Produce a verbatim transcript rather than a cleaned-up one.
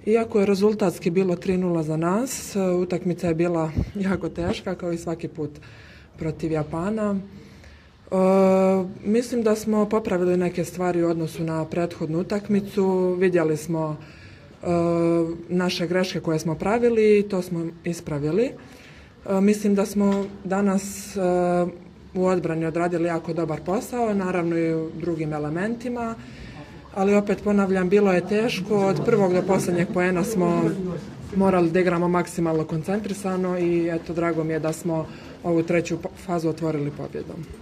Iako je rezultatski bilo tri nula za nas, utakmica je bila jako teška kao i svaki put protiv Japana. E, mislim da smo popravili neke stvari u odnosu na prethodnu utakmicu. Vidjeli smo e, naše greške koje smo pravili i to smo ispravili. E, mislim da smo danas e, u odbrani odradili jako dobar posao, naravno i u drugim elementima. Ali opet ponavljam, bilo je teško, od prvog do posljednjeg poena smo morali da igramo maksimalno koncentrisano i eto, drago mi je da smo ovu treću fazu otvorili pobjedom.